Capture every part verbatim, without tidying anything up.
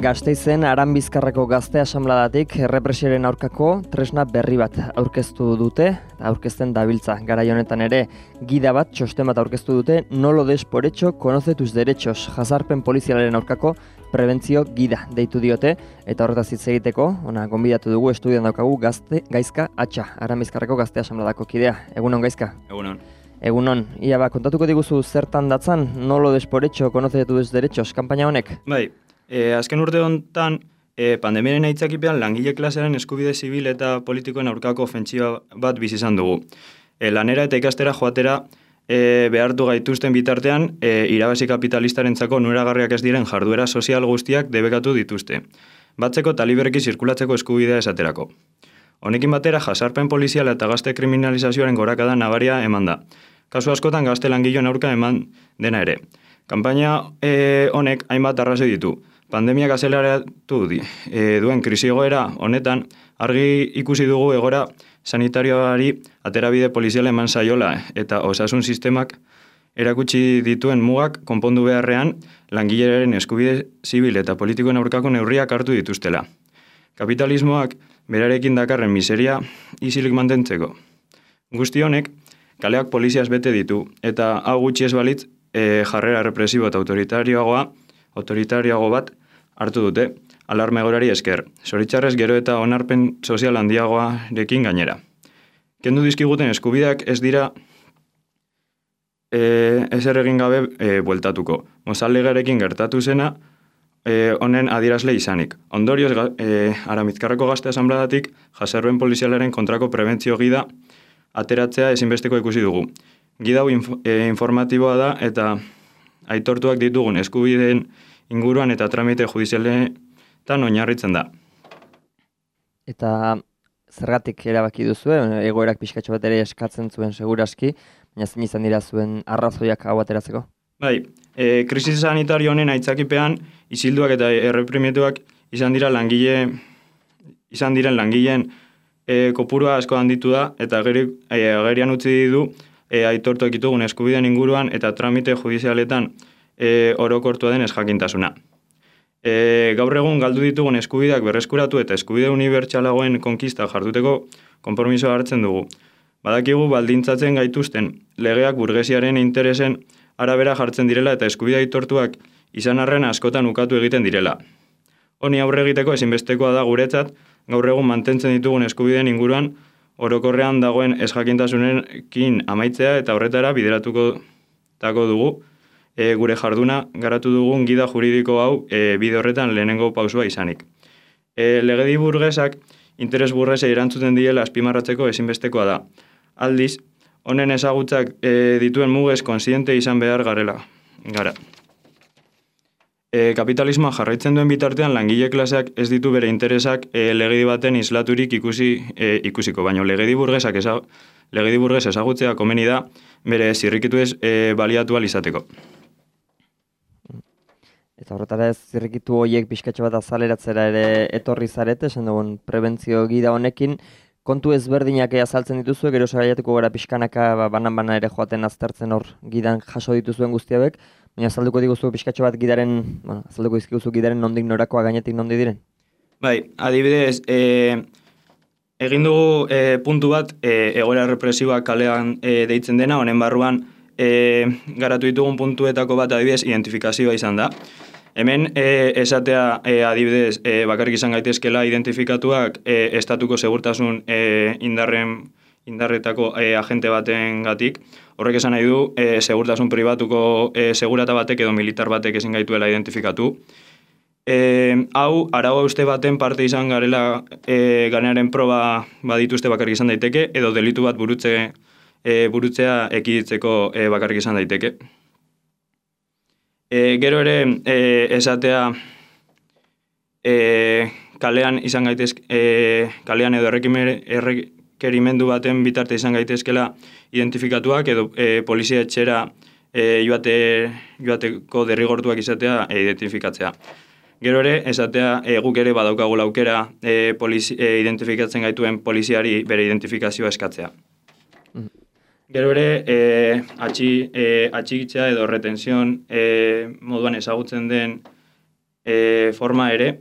Gasteizen Aranbizkarreko Gazte Asanbladatik errepresioaren aurkako tresna berri bat aurkeztu dute, aurkezten dabiltza. Garai honetan ere gida bat, txosten bat aurkeztu dute, no lo des por hecho, conoce tus derechos, jazarpen polizialaren aurkako prebentzio gida deitu diote, eta horretaz hitz egiteko, ona gonbidatu dugu estudian daukagu Gazte Gaizka Atxa, Aranbizkarreko Gazte Asanbladako kidea. Egunon Gaizka? Egunon. Egunon. Ia ba, kontatuko diguzu zertan datzan, no lo des por hecho, conoce tus derechos, kanpaina honek? Bai. E, azken urte honetan, e, pandemiaren aitzakipean langile klasearen eskubide zibil eta politikoen aurkako ofentsiba bat bizi izan dugu. E, lanera eta ikastera joatera e, behartu gaituzten bitartean, e, irabazi kapitalistarentzako onuragarriak ez diren jarduera sozial guztiak debekatu dituzte. Batzeko eta libereki zirkulatzeko eskubidea esaterako. Honekin batera, jazarpen poliziala eta gazte kriminalizazioaren gorakada nabaria eman da. Kasu askotan gazte langileon aurka eman dena ere. Kanpaina e, honek hainbat arrazoi ditu. Pandemiak azeleratu di, e, duen krisi egoera honetan, argi ikusi dugu egora sanitarioari aterabide poliziala eman zaiola eta osasun sistemak erakutsi dituen mugak konpondu beharrean langilearen eskubide zibil eta politikoen aurkako neurriak hartu dituztela. Kapitalismoak berarekin dakarren miseria isilik mantentzeko. Guzti honek, kaleak poliziaz bete ditu eta hau gutxi ez balitz e, jarrera represibo eta autoritarioagoa, autoritarioago bat hartu dute, alarma egoerari esker. Zoritxarrez gero eta onarpen sozial handiagoarekin gainera. Kendu dizkiguten eskubideak ez dira e, ezer egin gabe e, bueltatuko. Mozallegarekin gertatu zena e, honen adierazle izanik. Ondorioz, e, Aranbizkarreko Gazte Asanbladatik jazarpen polizialaren kontrako prebentzio gida ateratzea ezinbesteko ikusi dugu. Gida hau inf e, informatiboa da eta aitortuak ditugun eskubideen inguruan eta tramite judizialetan oinarritzen da. Eta zergatik erabaki duzue, egoerak pixkatxo bat ere eskatzen zuen seguraski, baina zein izan dira zuen arrazoiak hau ateratzeko? Bai, e, krisi sanitario honen aitzakipean isilduak eta erreprimituak izan dira langile izan diren langileen e, kopurua asko handitu da eta ageri, e, agerian utzi du e, aitortuak ditugun eskubideen inguruan eta tramite judizialetan E, orokortua den ezjakintasuna. E, gaur egun galdu ditugun eskubideak berreskuratu eta eskubide unibertsalagoen konkista jarduteko konpromisoa hartzen dugu. Badakigu baldintzatzen gaituzten legeak burgesiaren interesen arabera jartzen direla eta eskubide aitortuak izan arren askotan ukatu egiten direla. Honi aurre egiteko ezinbestekoa da guretzat gaur egun mantentzen ditugun eskubideen inguruan orokorrean dagoen ezjakintasunekin amaitzea eta horretara bideratuko tako dugu. E, gure jarduna garatu dugun gida juridiko hau e, bide horretan lehenengo pausua izanik. E, legedi burgesak interes burgesei erantzuten diela azpimarratzeko ezinbestekoa da. Aldiz, honen ezagutzak e, dituen mugez konsiente izan behar garela. Gara. E, kapitalismoa jarraitzen duen bitartean langile klaseak ez ditu bere interesak e, legedi baten islaturik ikusi, e, ikusiko, baina legedi burgesak eza, legedi burges ezagutzea komeni da bere zirrikitu ez e, baliatu izateko. Eta horretara ez zirrikitu horiek pixkatxo bat azaleratzera ere etorri zarete, esan dugun prebentzio gida honekin, kontu ezberdinak azaltzen dituzue, gero sagaiatuko gara pixkanaka ba, banan-bana ere joaten aztertzen hor gidan jaso dituzuen guztiabek, baina azalduko diguzu pixkatxo bat gidaren, bueno, azalduko dizkiguzu gidaren nondik norakoa gainetik nondi diren? Bai, adibidez, e, egin dugu e, puntu bat e, egoera represiboa kalean e, deitzen dena, honen barruan e, garatu ditugun puntuetako bat adibidez identifikazioa izan da. Hemen e, esatea e, adibidez e, bakarrik izan gaitezkela identifikatuak e, estatuko segurtasun e, indarren, indarretako e, agente baten gatik. Horrek esan nahi du e, segurtasun pribatuko e, segurata batek edo militar batek ezin gaituela identifikatu. E, hau, arau uste baten parte izan garela e, garenaren proba badituzte bakarrik izan daiteke edo delitu bat burutze, e, burutzea ekiditzeko e, bakarrik izan daiteke. E, gero ere e, esatea e, kalean izan gaitezke, e, kalean edo errekerimendu baten bitarte izan gaitezkela identifikatuak edo e, polizia etxera e, joate, joateko derrigortuak izatea e, identifikatzea. Gero ere esatea e, guk ere badaukagula aukera e, polizi, e, identifikatzen gaituen poliziari bere identifikazioa eskatzea. Gero ere, e, atxi, e, atxikitzea edo retenzion e, moduan ezagutzen den e, forma ere,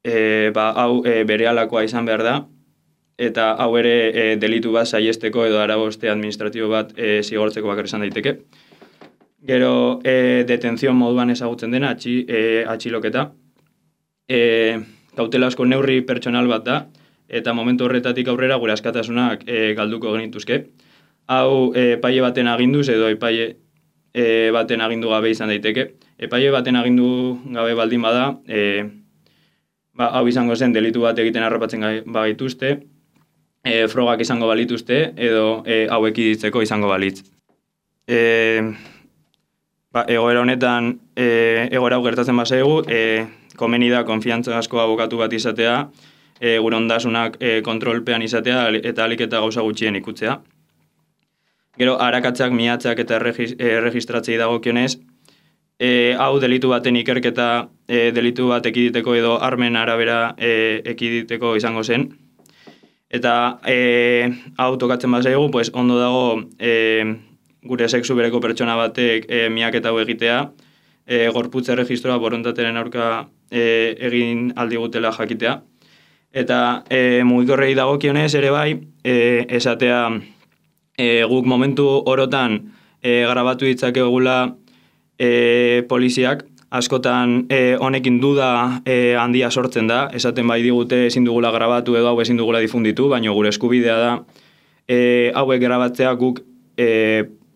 e, ba, hau e, berehalakoa izan behar da, eta hau ere e, delitu bat saiesteko edo araboste administratibo bat e, zigortzeko bakar izan daiteke. Gero, e, detenzion moduan ezagutzen dena, atxi, e, atxiloketa. E, kautelazko neurri pertsonal bat da, eta momentu horretatik aurrera gure askatasunak e, galduko genituzke. Hau e, epaile baten aginduz edo epaile e, baten agindu gabe izan daiteke. Epaile baten agindu gabe baldin bada, e, ba, hau izango zen delitu bat egiten harrapatzen bagituzte, e, frogak izango balituzte edo e, hauek iditzeko izango balitz. E, ba, egoera honetan, e, egoera hau gertatzen bazaigu, e, komeni da konfiantza asko abokatu bat izatea, e, gure ondasunak e, kontrolpean izatea eta alik eta gauza gutxien ikutzea. Gero, arakatzak, miatzak eta erregistratzei dagokionez, e, hau delitu baten ikerketa e, delitu bat ekiditeko edo armen arabera e, ekiditeko izango zen. Eta e, hau tokatzen bazaigu, pues, ondo dago e, gure sexu bereko pertsona batek e, miaketa hau egitea, e, gorputz erregistroa borondateren aurka e, egin aldigutela jakitea. Eta e, mugikorrei dagokionez ere bai, e, esatea e, guk momentu orotan e, grabatu ditzakegula e, poliziak, askotan e, honekin duda e, handia sortzen da, esaten bai digute ezin dugula grabatu edo hau ezin dugula difunditu, baina gure eskubidea da e, hauek grabatzea guk e,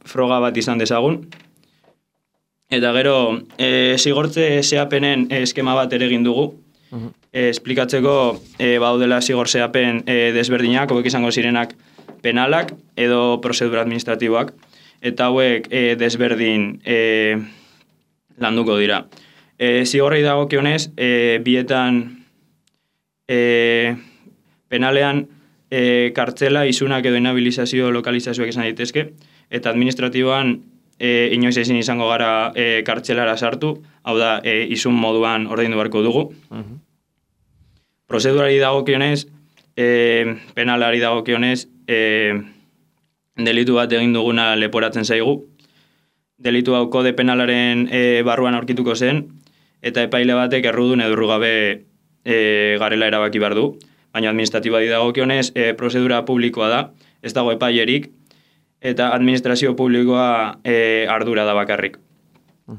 froga bat izan dezagun. Eta gero, e, zigortze zeapenen eskema bat ere egin dugu, uh-huh. e, esplikatzeko e, baudela zigor zeapen e, desberdinak, hauek izango zirenak penalak edo prozedura administratiboak, eta hauek e, desberdin e, landuko dira. E, zigorrei dagokionez, e, bietan e, penalean e, kartzela, isunak edo inhabilizazio lokalizazioak izan daitezke, eta administratiboan e, inoiz ezin izango gara e, kartzelara sartu, hau da, e, isun moduan ordaindu beharko dugu. Uh-huh. Prozedurari dagokionez, e, penalari dagokionez, e, delitu bat egin duguna leporatzen zaigu. Delitu hau kode penalaren e, barruan aurkituko zen, eta epaile batek errudun edo errugabe e, garela erabaki behar du. Baina administratiboa dagokionez, e, prozedura publikoa da, ez dago epailerik, eta administrazio publikoa e, ardura da bakarrik.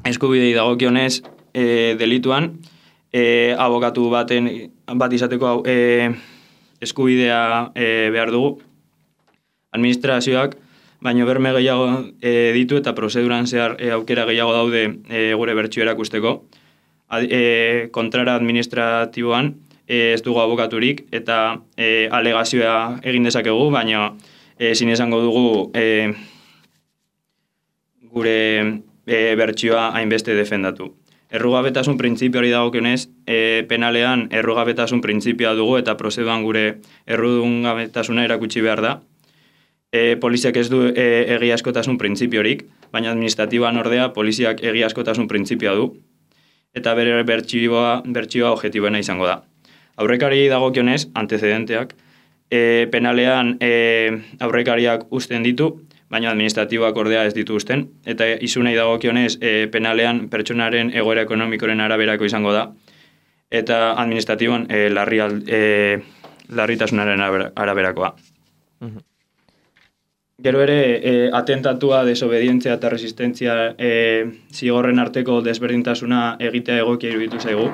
Eskubidei dagokionez, e, delituan, e, abokatu baten bat izateko e, eskubidea e, behar dugu. Administrazioak, baina berme gehiago e, ditu eta prozeduran zehar e, aukera gehiago daude e, gure bertsio erakusteko. Ad, e, kontrara administratiboan e, ez dugu abokaturik eta e, alegazioa egin dezakegu, baina ezin esango dugu e, gure e, bertsioa hainbeste defendatu. Errugabetasun printzipioari dagokionez, e, penalean errugabetasun printzipioa dugu eta prozeduan gure errugabetasuna erakutsi behar da. E, poliziak ez du e, egiazkotasun printzipiorik, baina administratiboan ordea poliziak egiazkotasun printzipioa du, eta bere bertsioa, bertsioa objetiboena izango da. Aurrekari dagokionez, antecedenteak, e, penalean e, aurrekariak uzten ditu, baina administratiboak ordea ez ditu uzten, eta izunei dagokionez e, penalean pertsonaren egoera ekonomikoren araberako izango da, eta administratiboan e, larri, e, larritasunaren araberakoa. Uh-huh. Gero ere, e, atentatua, desobedientzia eta resistentzia e, zigorren arteko desberdintasuna egitea egokia iruditu zaigu.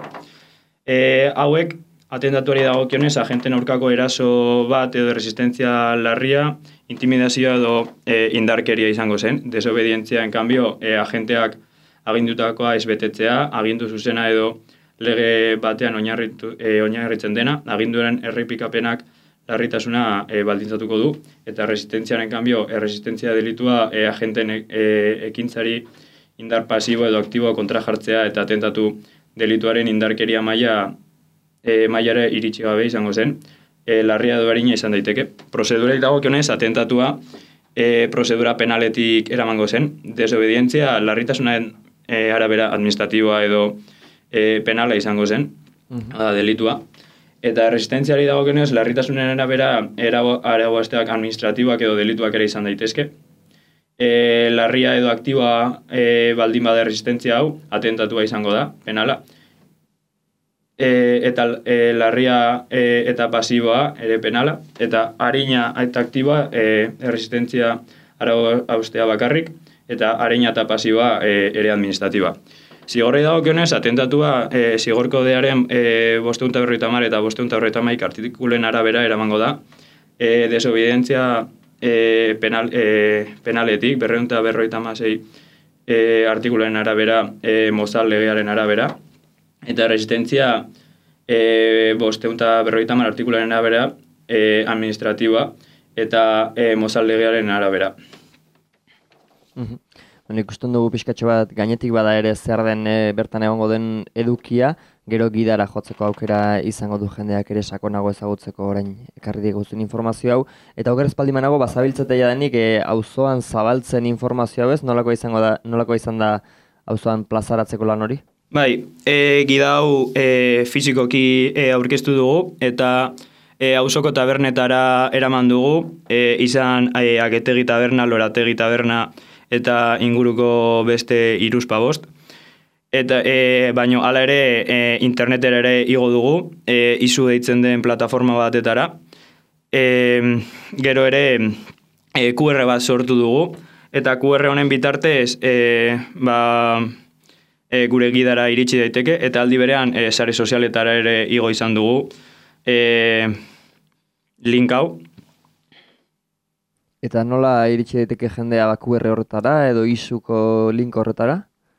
E, hauek, atentatuari dagokionez, agenten aurkako eraso bat edo resistentzia larria, intimidazioa edo e, indarkeria izango zen. Desobedientzia, en cambio, e, agenteak agindutakoa ez betetzea, agindu zuzena edo lege batean oinarritu, e, oinarritzen dena, aginduaren errepikapenak larritasuna e, baldintzatuko du, eta resistentziaren kanbio, erresistentzia delitua e, agenten e, ekintzari indar pasibo edo aktiboa kontra jartzea eta atentatu delituaren indarkeria maila e, mailara iritsi gabe izango zen, e, larria edo arina izan daiteke. Prozedurai dagokionez, atentatua e, prozedura penaletik eramango zen, desobedientzia larritasunaren e, arabera administratiboa edo e, penala izango zen, uh-huh. da, delitua. Eta resistentziari dagokionez, larritasunen arabera araboazteak administratiboak edo delituak ere izan daitezke. e, larria edo aktiboa e, baldin bada resistentzia hau, atentatua izango da, penala. E, eta e, larria e, eta pasiboa ere penala, eta arina eta aktiboa e, resistentzia arau haustea bakarrik, eta arina eta pasiboa e, ere administratiba. Zigorrei dagokionez, atentatua e, zigorkodearen e, bosteun eta berrogeita hamar eta bosteun eta berrogeita hamaika artikulen arabera eramango da, e, desobedientzia e, penal, e, penaletik, berreun eta berrogeita hamasei e, artikulen arabera, e, Mozal legearen arabera, eta resistentzia e, bosteun eta berrogeita hamar artikulen arabera e, administratiba, eta e, Mozal legearen arabera. Mhm. Bueno, ikusten dugu pixkatxo bat gainetik bada ere zer den e, bertan egongo den edukia, gero gidara jotzeko aukera izango du jendeak ere sakonago ezagutzeko orain ekarri diguzun informazio hau. Eta oker espaldimanago bazabiltzetea denik e, auzoan zabaltzen informazio hau ez, nolako izango da, nolako izan da auzoan plazaratzeko lan hori? Bai, e, gida hau e, fizikoki e, aurkeztu dugu, eta e, auzoko tabernetara eraman dugu, e, izan e, Agetegi taberna, Lorategi taberna, eta inguruko beste hiruzpa bost. Eta e, baino hala ere e, internetera ere igo dugu, e, izu deitzen den plataforma batetara. E, gero ere e, Q R bat sortu dugu, eta Q R honen bitartez e, ba, e, gure gidara iritsi daiteke, eta aldi berean e, sare sozialetara ere igo izan dugu e, link hau. Eta nola iritsi daiteke jendea ba, Q R horretara edo izuko link horretara?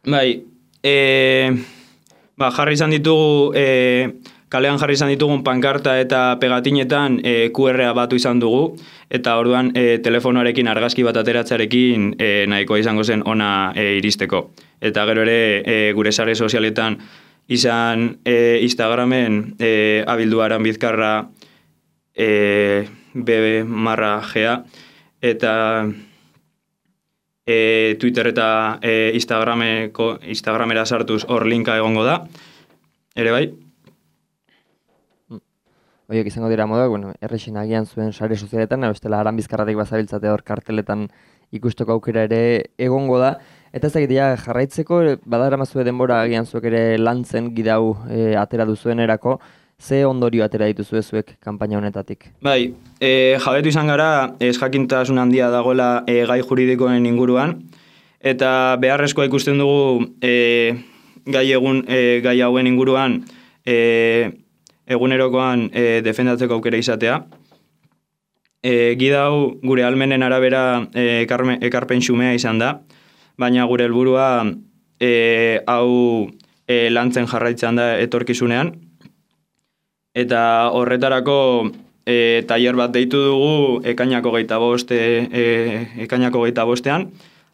Bai, e, ba, jarri izan ditugu, e, kalean jarri izan ditugun pankarta eta pegatinetan e, Q R-a batu izan dugu, eta orduan e, telefonoarekin argazki bat ateratzarekin e, nahikoa izango zen ona e, iristeko. Eta gero ere e, gure sare sozialetan izan e, Instagramen e, abildu Aranbizkarra e, bebe marra gea, eta e, Twitter eta e, Instagrameko, Instagramera sartuz hor linka egongo da, ere bai. Oiek izango dira moduak, bueno, errexin agian zuen sare sozialetan, bestela Aranbizkarratik bazabiltzate hor karteletan ikusteko aukera ere egongo da. Eta ez dakitea jarraitzeko, badaramazue denbora agian zuek ere lantzen gidau e, atera duzuen erako, ze ondorio atera dituzue zuek kanpaina honetatik? Bai, e, jabetu izan gara, ez jakintasun handia dagoela e, gai juridikoen inguruan, eta beharrezkoa ikusten dugu e, gai, egun, e, gai hauen inguruan e, egunerokoan e, defendatzeko aukera izatea. E, gida hau gure almenen arabera e, ekarme, ekarpen xumea izan da, baina gure helburua e, hau e, lantzen jarraitzen da etorkizunean. Eta horretarako e, tailer bat deitu dugu ekainako geita boste, e, ekainako geita bostean,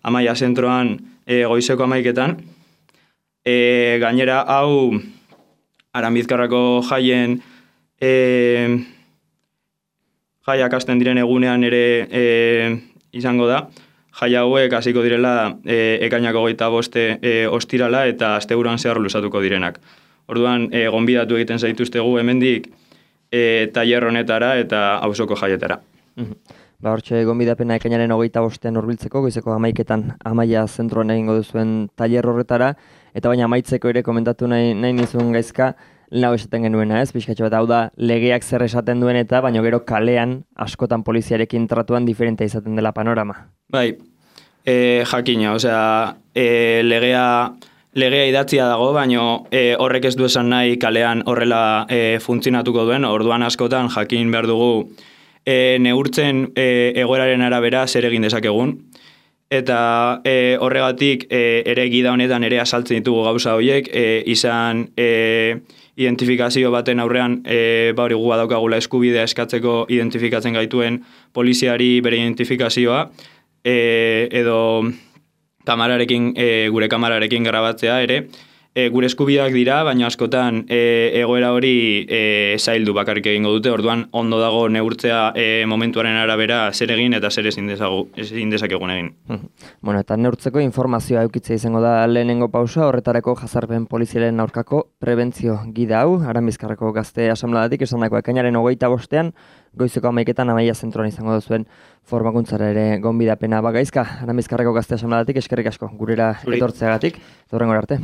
Amaia zentroan e, goizeko amaiketan. E, gainera hau Aranbizkarrako jaien e, jaiak hasten diren egunean ere e, izango da. Jai hauek hasiko direla e, ekainako geita boste e, ostirala eta asteburuan zehar luzatuko direnak. Orduan, e, gonbidatu egiten zaituztegu hemendik e, tailer honetara eta auzoko jaietara. Ba, hortxe gonbidapena ekainaren hogeita bostean hurbiltzeko, goizeko amaiketan Amaia zentroan egingo duzuen tailer horretara, eta baina amaitzeko ere komentatu nahi, nahi nizun gaizka, lehen hau esaten genuena, ez? Pixkatxo bat hau da, legeak zer esaten duen eta, baina gero kalean askotan poliziarekin tratuan diferentea izaten dela panorama. Bai, e, jakina, osea, e, legea... Legea idatzia dago, baino e, horrek ez du esan nahi kalean horrela e, funtzionatuko duen, orduan askotan jakin behar dugu e, neurtzen e, egoeraren arabera zer egin dezakegun. Eta e, horregatik e, ere gida honetan ere asaltzen ditugu gauza horiek, e, izan e, identifikazio baten aurrean e, bauri gu badaukagula eskubidea eskatzeko identifikatzen gaituen poliziari bere identifikazioa, e, edo... kamararekin, e, gure kamararekin grabatzea ere, e, gure eskubideak dira, baina askotan e, egoera hori e, zaildu bakarrik egingo dute, orduan ondo dago neurtzea e, momentuaren arabera zer egin eta zer ezin dezagu, ezin dezakegun egin. Bueno, eta neurtzeko informazioa eukitzea izango da lehenengo pausa, horretarako jazarpen polizialen aurkako prebentzio gida hau, Aranbizkarreko Gazte Asambladatik esandako ekainaren hogeita bostean, goizeko hamaiketan Amaia zentroan izango duzuen formakuntzara ere gonbidapena. Bagaizka, Aranbizkarreko Gazte Asambladatik eskerrik asko gurera etortzeagatik, eta hurrengora arte.